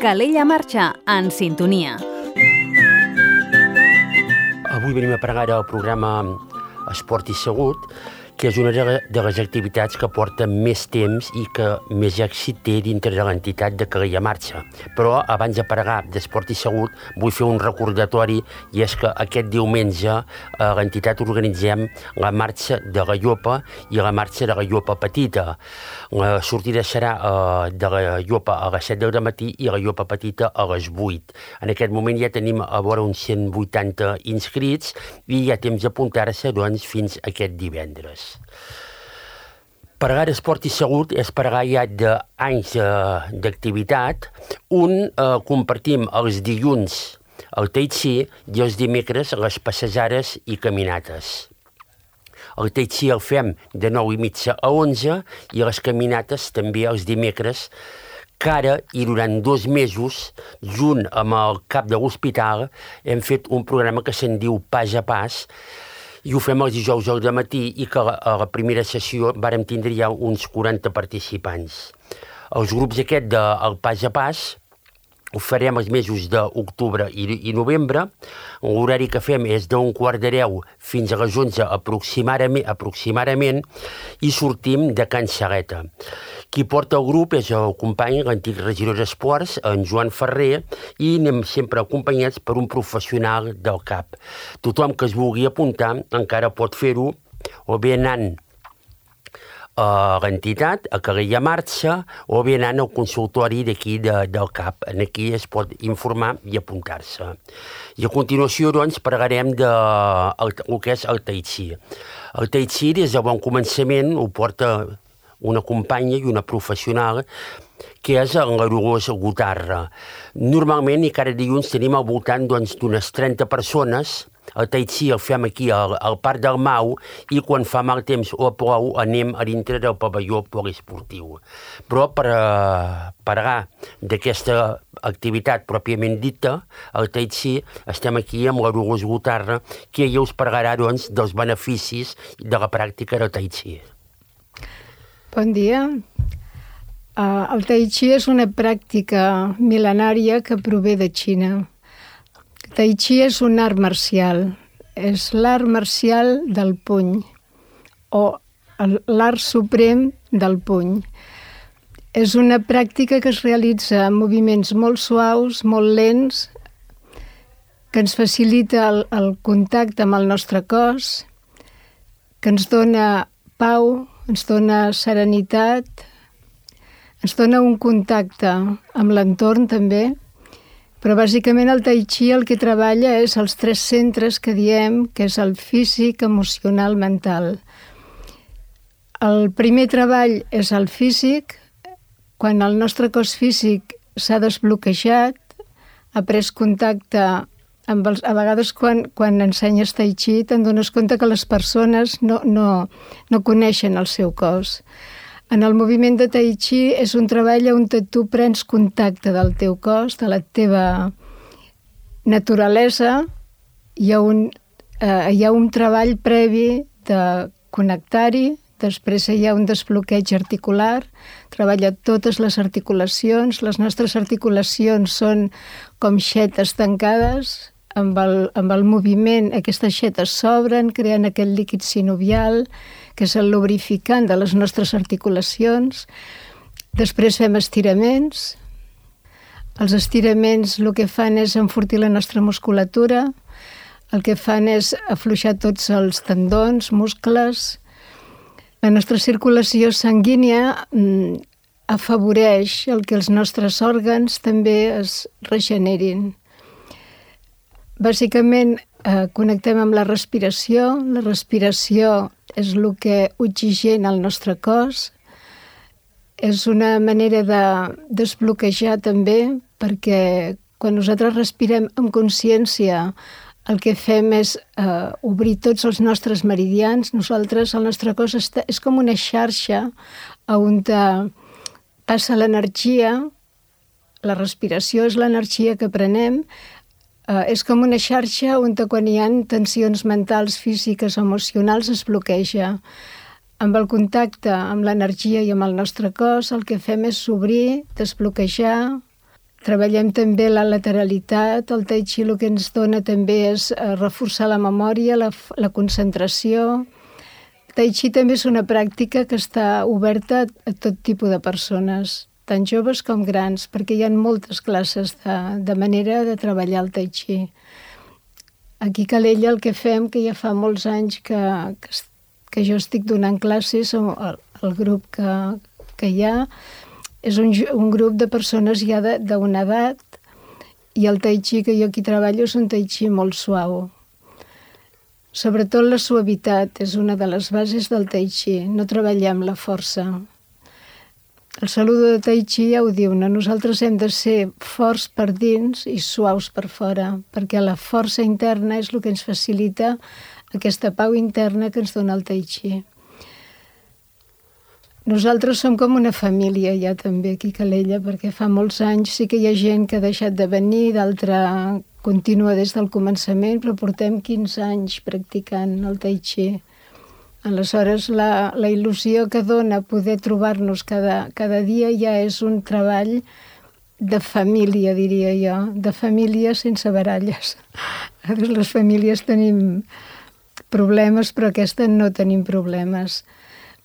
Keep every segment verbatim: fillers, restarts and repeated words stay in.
Calella Marxa, en sintonia. Avui venim a parlar del programa Esport i Salut, que és una de les activitats que porta més temps i que més èxit té dintre de l'entitat de Calella Marxa. Però abans de parlar d'Esport i Salut vull fer un recordatori, i és que aquest diumenge a l'entitat organitzem la marxa de la Llopa i la marxa de la Llopa Petita. La sortida serà de la Llopa a les set del matí i la Llopa Petita a les vuit. En aquest moment ja tenim a vora uns cent vuitanta inscrits i hi ha temps d'apuntar-se doncs, fins aquest divendres. Parlar d'esport i salut és parlar ja d'anys d'activitat. Un, eh, compartim els dilluns el tai chi i els dimecres les passejades i caminates. El tai chi el fem de nou i mitja a onze i les caminates també els dimecres, que ara i durant dos mesos, junt amb el cap de l'hospital, hem fet un programa que se'n diu Pas a Pas, i ho fem els dijous al dematí i que a la primera sessió vàrem tindre ja uns quaranta participants. Els grups aquest del Pas a Pas ho farem els mesos d'octubre i, i novembre. L'horari que fem és d'un quart de deu fins a les onze aproximadament, aproximadament i sortim de Can Saleta. Qui porta el grup és el company, l'antic regidor d'Esports, en Joan Ferrer, i anem sempre acompanyats per un professional del C A P. Tothom que es vulgui apuntar encara pot fer-ho, o bé anant a l'entitat, a Calella Marxa, o bé anant al consultori d'aquí de, del C A P. Aquí es pot informar i apuntar-se. I a continuació, doncs, parlarem de el, el que és el tai chi. El tai chi, des de bon començament, ho porta una companya i una professional, que és en la Dolors Gutarra. Normalment, i cada dilluns tenim al voltant d'unes doncs, trenta persones. El tai chi el fem aquí al, al Parc del Mau i quan fa mal temps o plou anem a dintre del pavelló poliesportiu. Però per uh, parlar d'aquesta activitat pròpiament dita, el tai chi, estem aquí amb la Dolors Gutarra, que ella us parlarà doncs, dels beneficis de la pràctica del tai chi. Bon dia. Uh, el tai chi és una pràctica mil·lenària que prové de Xina. Tai chi és un art marcial. És l'art marcial del puny, o l'art suprem del puny. És una pràctica que es realitza amb moviments molt suaus, molt lents, que ens facilita el, el contacte amb el nostre cos, que ens dona pau, ens dona serenitat, ens dona un contacte amb l'entorn també, però bàsicament el tai chi el que treballa és els tres centres que diem, que és el físic, emocional, mental. El primer treball és el físic, quan el nostre cos físic s'ha desbloquejat, ha pres contacte amb els... A vegades quan, quan ensenyes tai chi te'n dones compte que les persones no, no, no coneixen el seu cos. En el moviment de tai chi és un treball on tu prens contacte del teu cos, de la teva naturalesa. Hi ha un, eh, hi ha un treball previ de connectar-hi, després hi ha un desbloqueig articular, treballa totes les articulacions. Les nostres articulacions són com xetes tancades, amb el, amb el moviment aquestes xetes s'obren, creant aquest líquid sinovial, que és el lubrificant de les nostres articulacions. Després fem estiraments. Els estiraments el que fan és enfortir la nostra musculatura, el que fan és afluixar tots els tendons, muscles. La nostra circulació sanguínia mm, afavoreix el que els nostres òrgans també es regenerin. Bàsicament, eh, connectem amb la respiració. La respiració és el que oxigena el nostre cos. És una manera de desbloquejar també, perquè quan nosaltres respirem amb consciència, el que fem és eh, obrir tots els nostres meridians. Nosaltres, el nostre cos està, és com una xarxa on passa l'energia. La respiració és l'energia que prenem. Eh, és com una xarxa on quan hi ha tensions mentals, físiques, emocionals, es bloqueja. Amb el contacte amb l'energia i amb el nostre cos, el que fem és obrir, desbloquejar, Treballem també la lateralitat. El tai chi el que ens dona també és reforçar la memòria, la, la concentració. El tai chi també és una pràctica que està oberta a tot tipus de persones, tant joves com grans, perquè hi ha moltes classes de, de manera de treballar el tai chi. Aquí a Calella el que fem, que ja fa molts anys que, que, que jo estic donant classes, el, el grup que, que hi ha, és un, un grup de persones ja d'una edat, i el tai chi que jo aquí treballo és un tai chi molt suau. Sobretot la suavitat és una de les bases del tai chi, no treballem la força. El saludo de tai chi ja ho diu, no? Nosaltres hem de ser forts per dins i suaus per fora, perquè la força interna és el que ens facilita aquesta pau interna que ens dona el tai chi. Nosaltres som com una família ja també aquí a Calella, perquè fa molts anys sí que hi ha gent que ha deixat de venir, d'altra continua des del començament, però portem quinze anys practicant el tai chi. Aleshores, la, la il·lusió que dona poder trobar-nos cada, cada dia ja és un treball de família, diria jo, de família sense baralles. Les famílies tenim problemes, però aquesta no tenim problemes.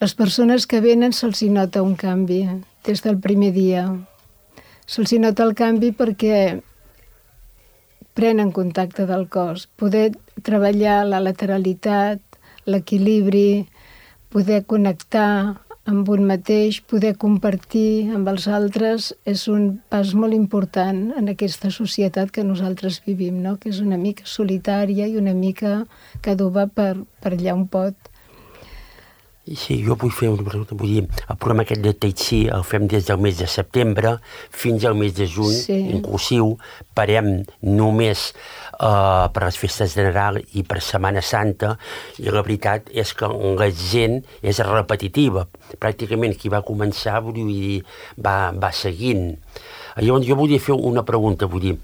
Les persones que venen se'ls hi nota un canvi des del primer dia. Se'ls hi nota el canvi perquè prenen contacte del cos. Poder treballar la lateralitat, l'equilibri, poder connectar amb un mateix, poder compartir amb els altres, és un pas molt important en aquesta societat que nosaltres vivim, no? Que és una mica solitària i una mica que adoba per, per allà on pot. Sí, jo vull fer una pregunta. Vull dir, el programa aquest de Tai Chi el fem des del mes de setembre fins al mes de juny, sí. Inclusiu. Parem només uh, per les festes de Nadal i per Setmana Santa, i la veritat és que la gent és repetitiva. Pràcticament qui va començar, vull dir, va, va seguint. Llavors jo volia fer una pregunta, vull dir,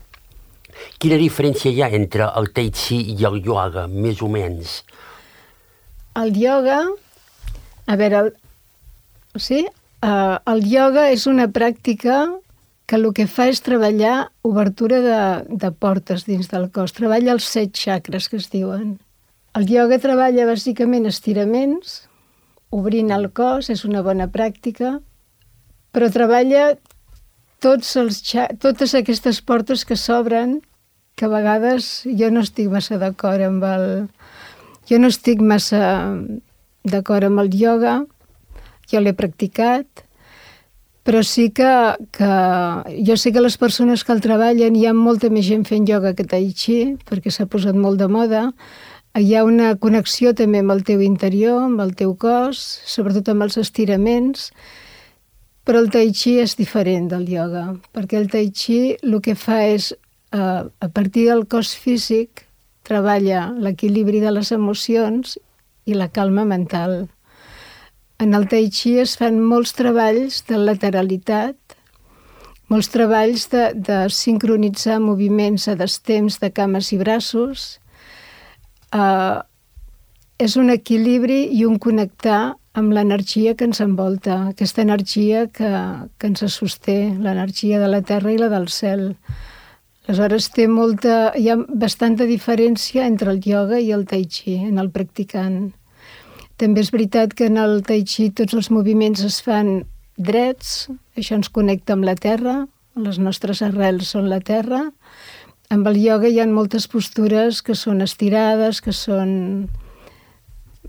quina diferència hi ha entre el Tai Chi i el ioga, més o menys? El ioga... A veure, el, sí? Uh, el ioga és una pràctica que el que fa és treballar obertura de, de portes dins del cos. Treballa els set xacres que es diuen. El ioga treballa bàsicament estiraments, obrint el cos, és una bona pràctica, però treballa tots els, totes aquestes portes que s'obren, que a vegades jo no estic massa d'acord amb el... Jo no estic massa... d'acord amb el ioga, jo l'he practicat, però sí que, que jo sé que les persones que el treballen, hi ha molta més gent fent ioga que tai chi, perquè s'ha posat molt de moda. Hi ha una connexió també amb el teu interior, amb el teu cos, sobretot amb els estiraments, però el tai chi és diferent del ioga, perquè el tai chi el que fa és, a partir del cos físic, treballa l'equilibri de les emocions i la calma mental. En el tai chi es fan molts treballs de lateralitat, molts treballs de, de sincronitzar moviments a destemps de cames i braços. Uh, és un equilibri i un connectar amb l'energia que ens envolta, aquesta energia que, que ens sosté, l'energia de la terra i la del cel. Aleshores, té molta, hi ha bastanta diferència entre el ioga i el tai chi en el practicant. També és veritat que en el tai chi tots els moviments es fan drets, això ens connecta amb la terra, les nostres arrels són la terra. Amb el ioga hi ha moltes postures que són estirades, que són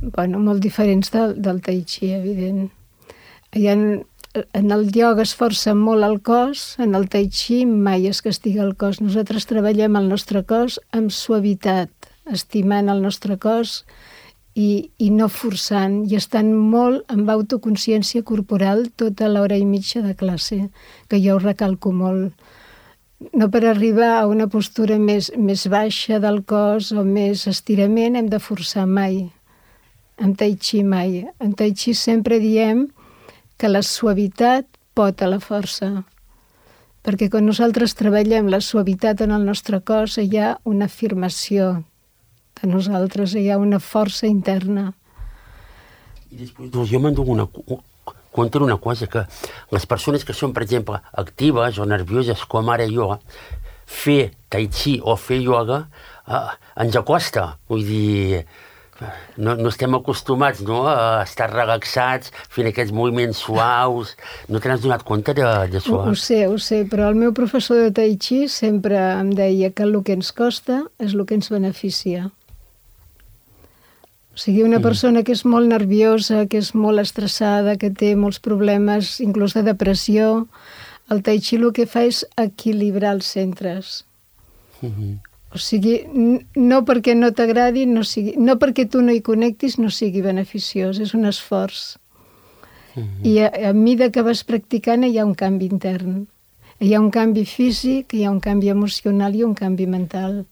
bueno, molt diferents del, del tai chi, evident. Hi ha En el ioga es força molt el cos, en el tai chi mai es castiga el cos. Nosaltres treballem el nostre cos amb suavitat, estimant el nostre cos i, i no forçant, i estant molt amb autoconsciència corporal tota l'hora i mitja de classe, que jo ho recalco molt. No per arribar a una postura més, més baixa del cos o més estirament hem de forçar mai. En tai chi mai. En tai chi sempre diem que la suavitat pot a la força, perquè quan nosaltres treballem la suavitat en el nostre cos hi ha una afirmació de nosaltres, hi ha una força interna. I després, doncs, jo m'enduc una, compten una cosa, que les persones que són, per exemple, actives o nervioses, com ara jo, fer tai chi o fer ioga eh, ens acosta. Vull dir, no, no estem acostumats, no?, a estar relaxats, fent aquests moviments suaus. No te n'has donat compte d'això? Ho, ho sé, ho sé, però el meu professor de tai chi sempre em deia que el que ens costa és el que ens beneficia. O sigui, una persona que és molt nerviosa, que és molt estressada, que té molts problemes, inclús de depressió, el tai chi el que fa és equilibrar els centres. Mm-hmm. O sigui, no perquè no t'agradi, no, sigui, no perquè tu no hi connectis, no sigui beneficiós, és un esforç. Mm-hmm. I a, a mesura que vas practicant hi ha un canvi intern. Hi ha un canvi físic, hi ha un canvi emocional i un canvi mental.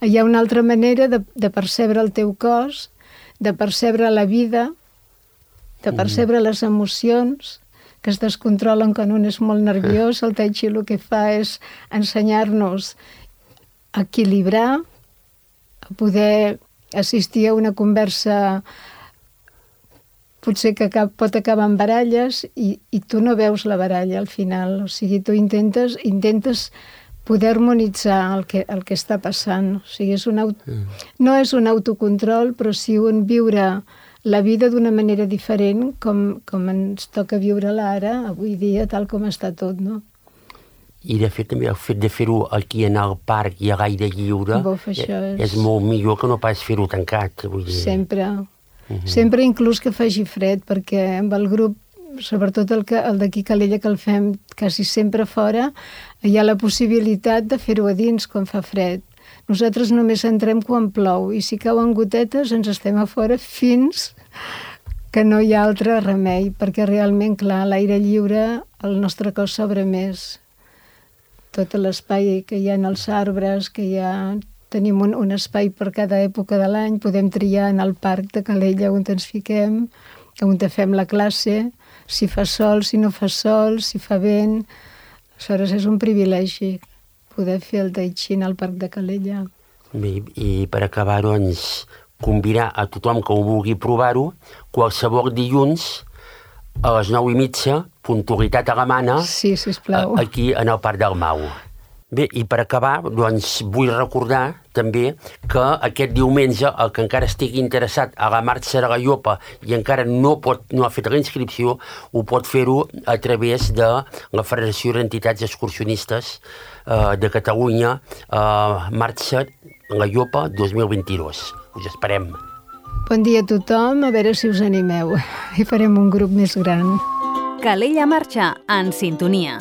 Hi ha una altra manera de, de percebre el teu cos, de percebre la vida, de percebre les emocions, que es descontrolen quan un és molt nerviós. El tai chi el que fa és ensenyar-nos a equilibrar, a poder assistir a una conversa potser que pot acabar en baralles i, i tu no veus la baralla al final. O sigui, tu intentes, intentes poder harmonitzar el que, el que està passant. O sigui, és un auto... no és un autocontrol, però sí un viure la vida d'una manera diferent com, com ens toca viure-la ara, avui dia, tal com està tot, no? I, de fet, també el fet de fer-ho aquí en el parc i a l'aire lliure Buf, és... és molt millor que no pas fer-ho tancat. Vull dir. Sempre. Uh-huh. Sempre, inclús que faci fred, perquè amb el grup, sobretot el, que, el d'aquí Calella, que el fem quasi sempre fora, hi ha la possibilitat de fer-ho a dins quan fa fred. Nosaltres només entrem quan plou i si cauen gotetes ens estem a fora fins que no hi ha altre remei, perquè realment, clar, a l'aire lliure el nostre cos s'obre més. Tot l'espai que hi ha en els arbres, que hi ha... Tenim un, un espai per cada època de l'any, podem triar en el parc de Calella on ens fiquem, on fem la classe, si fa sol, si no fa sol, si fa vent. Aleshores és un privilegi poder fer el tai chi al parc de Calella. Bé, i per acabar, doncs, convidar a tothom que ho vulgui provar-ho, qualsevol dilluns a les nou i mitja, puntualitat alemana, sí, sisplau, aquí en el Parc del Mau. Bé, i per acabar, doncs, vull recordar també que aquest diumenge el que encara estigui interessat a la marxa de la Llopa i encara no, pot, no ha fet la inscripció, ho pot fer-ho a través de la Federació d'Entitats Excursionistes eh, de Catalunya, eh, marxa la Llopa dos mil vint-i-dos. Us esperem. Bon dia a tothom, a veure si us animeu i farem un grup més gran. Calella Marxa, en sintonia.